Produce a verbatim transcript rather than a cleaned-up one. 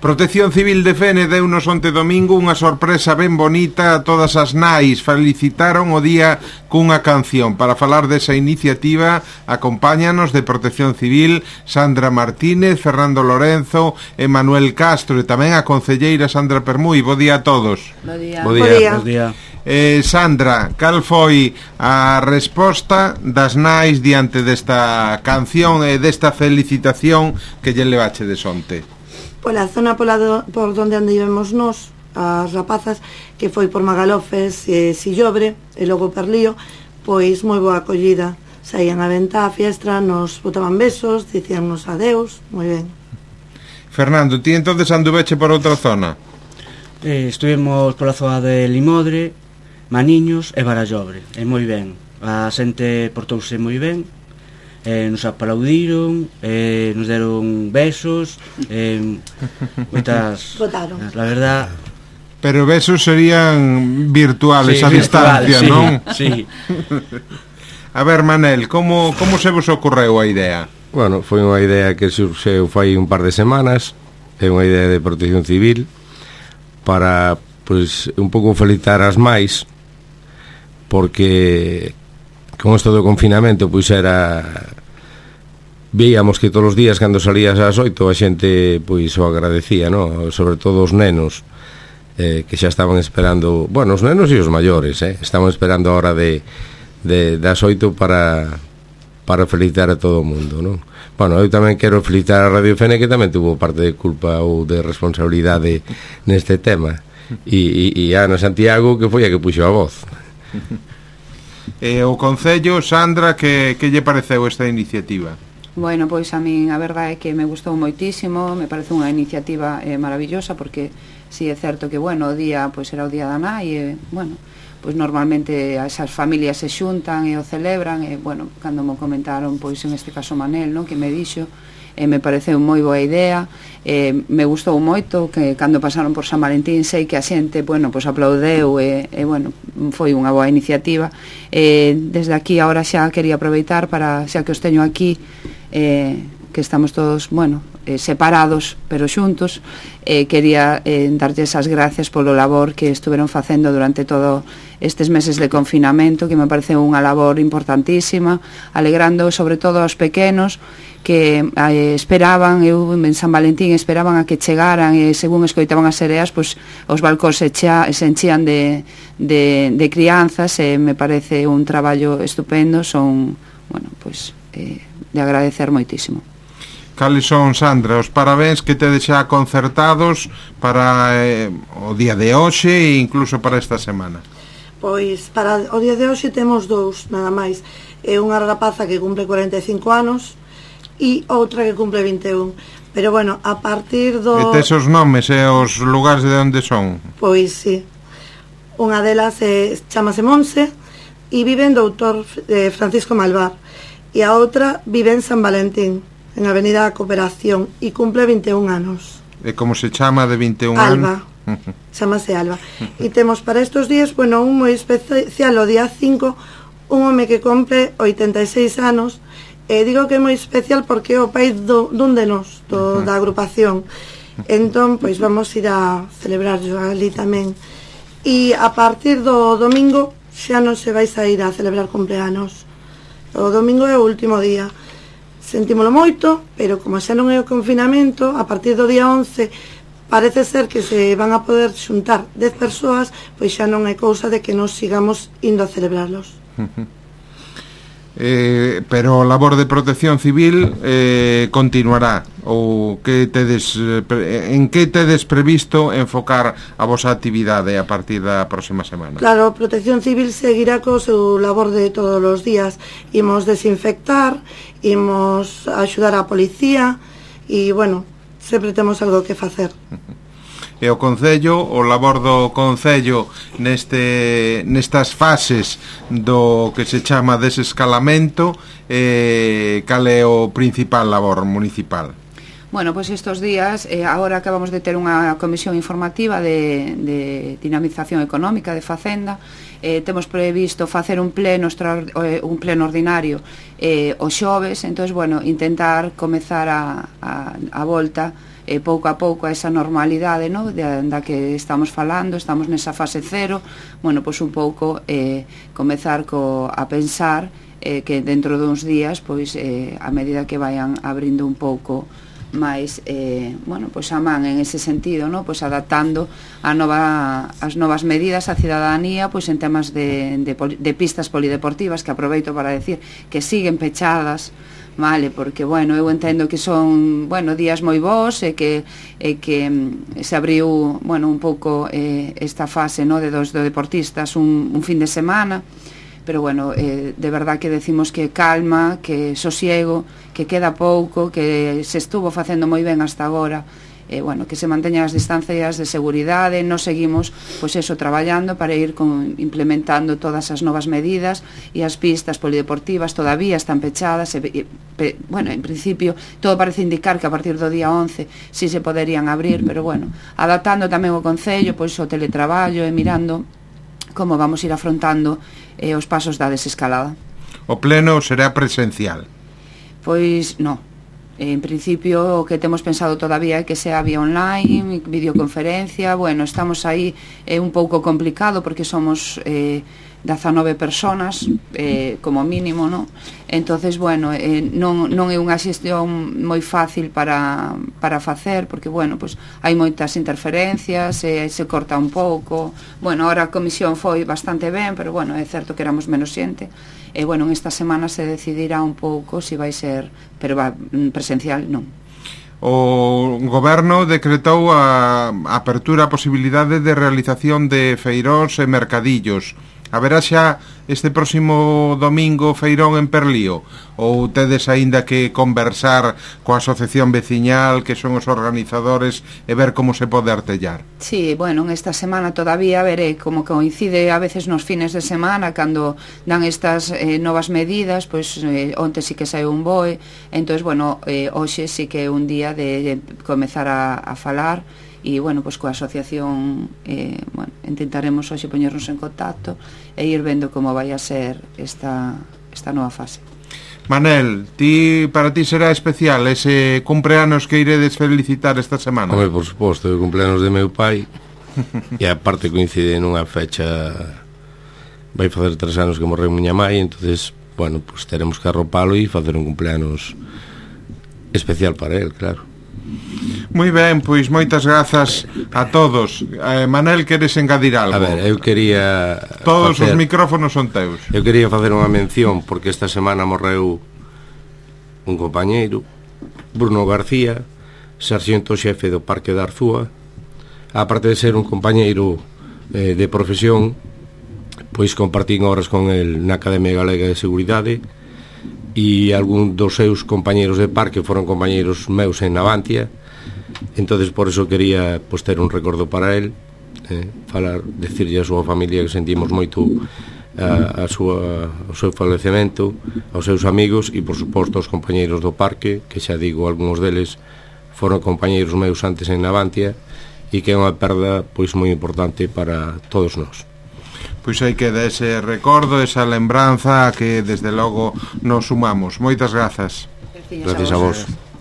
Protección Civil de Fene deunos onte domingo unha sorpresa ben bonita a todas as nais. Felicitaron o día cunha canción. Para falar desa iniciativa, acompáñanos de Protección Civil Sandra Martínez, Fernando Lorenzo e Manuel Castro, e tamén a concelleira Sandra Permui. Bo día a todos. Bo día. Bo día. Bo día. Eh, Sandra, cal foi a resposta das nais diante desta canción e desta felicitación que lle levache de sonte? Pola zona pola do, por donde andivemos nós, as rapazas, que foi por Magalofes e Sillobre e logo Perlío, pois moi boa acollida. Saían a venta a fiestra, nos botaban besos, dicíannos adeus, moi ben. Fernando, ti entonces anduveche por outra zona? Eh, estuvemos pola zona de Limodre, Maniños e Barallobre, e moi ben. A xente portouse moi ben. Eh, nos aplaudiron, eh, nos deron besos, eh, moitas, votaron. La verdad. Pero besos serían virtuales, sí, a distancia, sí, non? Sí. A ver, Manel, como, como se vos ocorreu a idea? Bueno, foi unha idea que surxeu fai un par de semanas. É unha idea de Protección Civil para, pois, un pouco felicitar as máis, porque con isto do confinamento, pois era, víamos que todos os días cando salías ás oito a xente pois o agradecía, no? Sobre todo os nenos, eh, que xa estaban esperando, bueno, os nenos e os maiores, eh, estaban esperando a hora de, de das oito para para felicitar a todo o mundo, non? Bueno, eu tamén quero felicitar a Radio Fene, que tamén tuvo parte de culpa ou de responsabilidade neste tema, e, e, e a Ana Santiago, que foi a que puxo a voz. E o Concello, Sandra, que, que lle pareceu esta iniciativa? Bueno, pois a min a verdade é que me gustou moitísimo, me parece unha iniciativa eh, maravillosa, porque si é certo que, bueno, o día, pois era o día da nai, e, bueno, pois normalmente esas familias se xuntan e o celebran, e, bueno, cando me comentaron, pois en este caso Manel, non, que me dixo, e me pareceu moi boa idea, e me gustou moito que cando pasaron por San Valentín sei que a xente, bueno, pois aplaudeu e, e bueno, foi unha boa iniciativa. E desde aquí agora xa quería aproveitar para, xa que os teño aquí, eh, que estamos todos, bueno, eh, separados pero xuntos, eh, quería eh, darlles as gracias polo labor que estuveron facendo durante todo estes meses de confinamento, que me parece unha labor importantísima, alegrando sobre todo aos pequenos que eh, esperaban, eu en San Valentín esperaban a que chegaran, e según escoitaban as sereas, pois os balcóns se, cha, se enchían de, de, de crianzas, e me parece un traballo estupendo, son, bueno, pois eh, de agradecer moitísimo. Cales son, Sandra, os parabéns que tedes xa concertados para eh, o día de hoxe e incluso para esta semana? Pois para o día de hoxe temos dous, nada máis. É unha rapaza que cumple cuarenta e cinco anos e outra que cumple vinte e un. Pero bueno, a partir do... E tes os nomes e os lugares de onde son? Pois sí. Unha delas é, chamase Monse e vive en Doutor eh, Francisco Malvar, e a outra vive en San Valentín, en Avenida da Cooperación, e cumple vinte e un anos. E como se chama de vinte e un Alba. anos? Chamase Alba. E temos para estes días, bueno, un moi especial o día cinco, un home que cumple oitenta e seis anos. E digo que é moi especial porque é o pai do, dun de nós, do, da agrupación. Entón, pois vamos ir a celebrar ali tamén. E a partir do domingo xa non se vai sair a celebrar cumpleanos. O domingo é o último día. Sentímolo moito, pero como xa non é o confinamento, a partir do día once parece ser que se van a poder xuntar dez persoas, pois xa non é cousa de que nos sigamos indo a celebrarlos. Eh, pero a labor de Protección Civil eh, continuará, ou que tedes, en que tedes previsto enfocar a vosa actividade a partir da próxima semana? Claro, Protección Civil seguirá co seu labor de todos os días. Imos desinfectar, imos axudar a policía, e bueno, sempre temos algo que facer. E o Concello, o labor do Concello neste, nestas fases do que se chama desescalamento, eh, cal é o principal labor municipal? Bueno, pois pues estos días, eh, agora acabamos de ter unha comisión informativa de, de dinamización económica de Facenda. Eh, temos previsto facer un pleno extra, eh, un pleno ordinario eh, os xoves, entón, bueno, intentar comezar a, a, a volta eh, pouco a pouco a esa normalidade, no? de, da que estamos falando, estamos nesa fase cero, bueno, pois un pouco eh, comezar co, a pensar eh, que dentro duns días, pois eh, a medida que vayan abrindo un pouco máis, eh, bueno, pois a man en ese sentido, no? Pois adaptando a nova, as novas medidas á cidadanía, pois en temas de, de, de pistas polideportivas, que aproveito para decir que siguen pechadas, vale, porque, bueno, eu entendo que son, bueno, días moi bons e que, e que se abriu, bueno, un pouco eh, esta fase, no? de dos de deportistas un, un fin de semana, pero bueno, eh, de verdad que decimos que calma, que sosiego, que queda pouco, que se estuvo facendo moi ben hasta agora, eh, bueno, que se manteñan as distancias de seguridade, nos seguimos, pois eso, traballando para ir con, implementando todas as novas medidas, e as pistas polideportivas todavía están pechadas, e, e, pe, bueno, en principio, todo parece indicar que a partir do día once sí se poderían abrir, pero bueno, adaptando tamén o Concello, pois o teletraballo e mirando como vamos ir afrontando eh, os pasos da desescalada. O pleno será presencial? Pois non. En principio o que temos pensado todavía é que sea vía online, videoconferencia, bueno, estamos aí, é eh, un pouco complicado porque somos eh, dezanove personas eh, como mínimo, no? Entonces, bueno, eh, non, non é unha xestión moi fácil para, para facer, porque, bueno, pues, hai moitas interferencias, eh, se corta un pouco, bueno, ahora a comisión foi bastante ben, pero, bueno, é certo que éramos menos xente, e, bueno, en esta semana se decidirá un pouco se si vai ser, pero va, presencial, non. O goberno decretou a apertura a posibilidade de realización de feiróns e mercadillos. Haberá xa este próximo domingo feirón en Perlío? Ou tedes aínda que conversar coa asociación veciñal, que son os organizadores, e ver como se pode artellar? Sí, bueno, en esta semana todavía veré como coincide a veces nos fines de semana cando dan estas eh, novas medidas, pois eh, onte sí que sae un boe, entonces, bueno, eh, hoxe sí que é un día de, de comezar a, a falar, e, bueno, pois coa asociación eh, bueno, intentaremos hoxe poñernos en contacto e ir vendo como vai a ser esta, esta nova fase. Manel, ti, para ti será especial ese cumpleanos que iredes felicitar esta semana? Home, por suposto, o cumpleanos de meu pai e aparte coincide nunha fecha, vai facer tres anos que morreu miña mai, entonces, bueno, pues teremos que arropalo e facer un cumpleanos especial para él, claro. Moi ben, pois moitas grazas a todos. eh, Manel, queres engadir algo? A ver, eu quería Todos facer, os micrófonos son teus. Eu quería facer unha mención porque esta semana morreu un compañeiro, Bruno García, sarxento xefe do Parque da Arzúa. Aparte de ser un compañeiro eh, de profesión, pois compartín horas con el na Academia Galega de Seguridade, e algún dos seus compañeiros de parque foron compañeiros meus en Navantia. Entonces por eso quería pues, ter un recordo para él, eh, falar, decirlle a súa familia que sentimos moito a, a súa, o seu falecemento, aos seus amigos e por suposto aos compañeiros do parque, que xa digo, algúns deles foron compañeiros meus antes en Navantia, e que é unha perda pois moi importante para todos nós. Pois aí queda ese recordo, esa lembranza que desde logo nos sumamos. Moitas grazas. Gracias a vos.